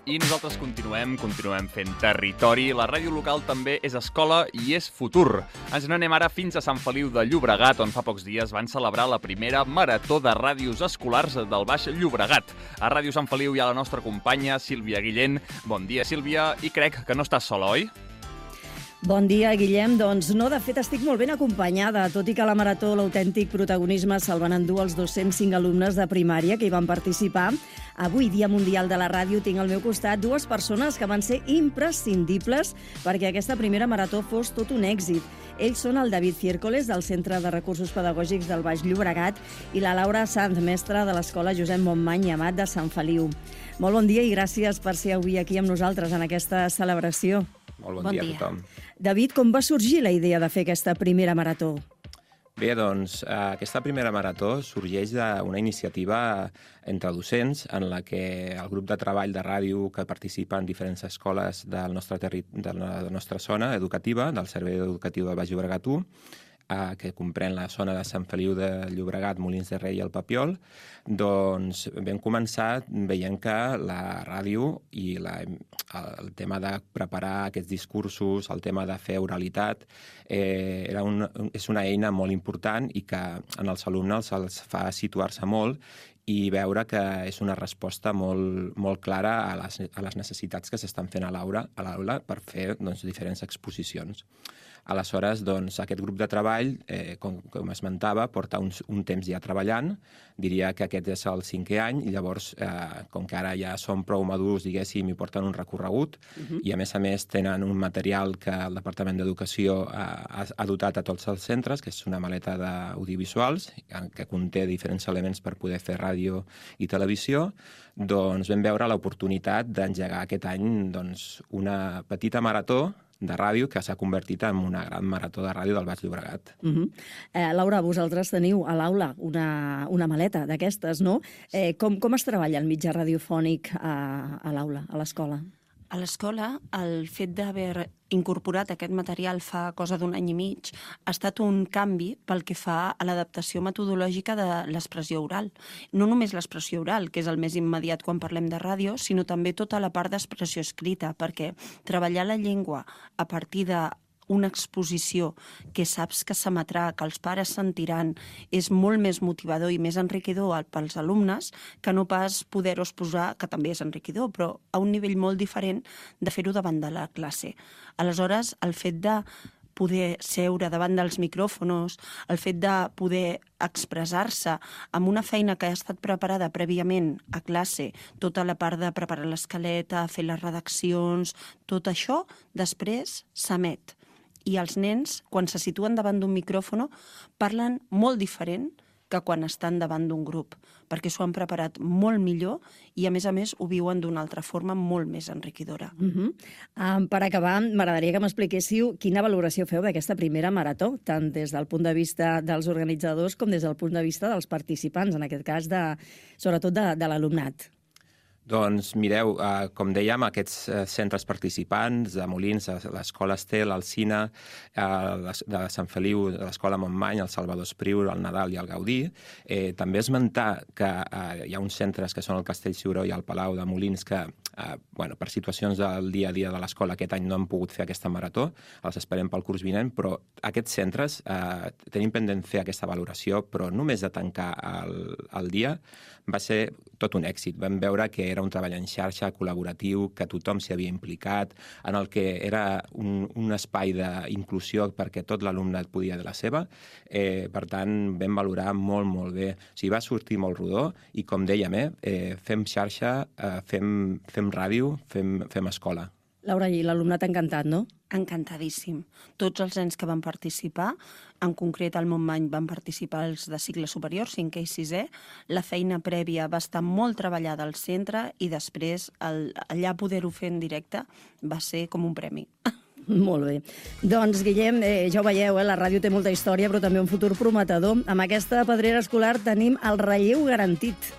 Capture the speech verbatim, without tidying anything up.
I nosaltres continuem, continuem fent territori. La ràdio local també és escola i és futur. Ens n'anem ara fins a Sant Feliu de Llobregat, on fa pocs dies van celebrar la primera marató de ràdios escolars del Baix Llobregat. A Ràdio Sant Feliu hi ha la nostra companya Sílvia Guillén. Bon dia, Sílvia, i crec que no estàs sola, oi? Bon dia, Guillem. Doncs no, de fet estic molt ben acompanyada, tot i que a la marató l'autèntic protagonisme se'l van endur els dos-cents cinc alumnes de primària que hi van participar. Avui, Dia Mundial de la Ràdio, tinc al meu costat dues persones que van ser imprescindibles perquè aquesta primera marató fos tot un èxit. Ells són el David Ciércoles, del Centre de Recursos Pedagògics del Baix Llobregat, i la Laura Sanz, mestra de l'Escola Josep Montmany i Amat de Sant Feliu. Molt bon dia i gràcies per ser avui aquí amb nosaltres en aquesta celebració. Molt bon, bon dia, dia a tothom. David, com va sorgir la idea de fer aquesta primera marató? Bé, doncs, aquesta primera marató sorgeix d'una iniciativa entre docents en la que el grup de treball de ràdio que participa en diferents escoles del nostre terri... de la nostra zona educativa, del Servei Educatiu del Baix Llobregat u, eh, que comprèn la zona de Sant Feliu de Llobregat, Molins de Rei i el Papiol, doncs vam començar veient que la ràdio i la, el tema de preparar aquests discursos, el tema de fer oralitat, eh, era un, és una eina molt important i que en els alumnes els fa situar-se molt i veure que és una resposta molt, molt clara a les, a les necessitats que s'estan fent a l'aula a l'aula per fer doncs, diferents exposicions. Aleshores, doncs, aquest grup de treball, eh, com, com esmentava, porta un, un temps ja treballant. Diria que aquest és el cinquè any i llavors, eh, com que ara ja són prou madurs, diguéssim, i porten un recorregut uh-huh. i, a més a més, tenen un material que el Departament d'Educació ha, ha dotat a tots els centres, que és una maleta d'audiovisuals que conté diferents elements per poder fer ràdio i televisió. Doncs vam veure l'oportunitat d'engegar aquest any doncs, una petita marató de ràdio que s'ha convertit en una gran marató de ràdio del Baix Llobregat. Uh-huh. eh, Laura, vosaltres teniu a l'aula una, una maleta d'aquestes, no? Eh, com, com es treballa el mitjà radiofònic a, a l'aula, a l'escola? A l'escola, el fet d'haver incorporat aquest material fa cosa d'un any i mig ha estat un canvi pel que fa a l'adaptació metodològica de l'expressió oral. No només l'expressió oral, que és el més immediat quan parlem de ràdio, sinó també tota la part d'expressió escrita, perquè treballar la llengua a partir de una exposició que saps que s'emetrà, que els pares sentiran, és molt més motivador i més enriquidor pels alumnes que no pas poder-ho exposar, que també és enriquidor, però a un nivell molt diferent de fer-ho davant de la classe. Aleshores, el fet de poder seure davant dels micròfonos, el fet de poder expressar-se amb una feina que ha estat preparada prèviament a classe, tota la part de preparar l'escaleta, fer les redaccions, tot això després s'emet. I els nens, quan se situen davant d'un micròfono, parlen molt diferent que quan estan davant d'un grup, perquè s'ho han preparat molt millor i, a més a més, ho viuen d'una altra forma molt més enriquidora. Uh-huh. um, per acabar, m'agradaria que m'expliquéssiu quina valoració feu d'aquesta primera marató, tant des del punt de vista dels organitzadors com des del punt de vista dels participants, en aquest cas, de, sobretot de, de l'alumnat. Doncs mireu, eh, com dèiem, aquests eh, centres participants de Molins, l'Escola Estel, el Cine, eh, de Sant Feliu, l'Escola Montmany, el Salvador Espriu, el Nadal i el Gaudí, eh, també esmentar que eh, hi ha uns centres que són el Castell Ciuró i el Palau de Molins que, eh, bueno, per situacions del dia a dia de l'escola aquest any no han pogut fer aquesta marató, els esperem pel curs vinent, però aquests centres eh, tenim pendent fer aquesta valoració, però només de tancar el, el dia va ser tot un èxit. Vam veure que era un treball en xarxa, col·laboratiu, que tothom s'hi havia implicat, en el que era un, un espai d'inclusió perquè tot l'alumnat podia de la seva. Eh, per tant, vam valorar molt, molt bé. O sigui, va sortir molt rodó i, com dèiem, eh, eh, fem xarxa, eh, fem, fem ràdio, fem, fem escola. Laura, i l'alumnat ha encantat, no? Encantadíssim. Tots els nens que van participar, en concret al Montmany van participar els de cicle superior, cinquè i sisè, la feina prèvia va estar molt treballada al centre i després el, allà poder-ho fer en directe va ser com un premi. Molt bé. Doncs, Guillem, eh, ja ho veieu, eh, la ràdio té molta història, però també un futur prometedor. Amb aquesta pedrera escolar tenim el relleu garantit.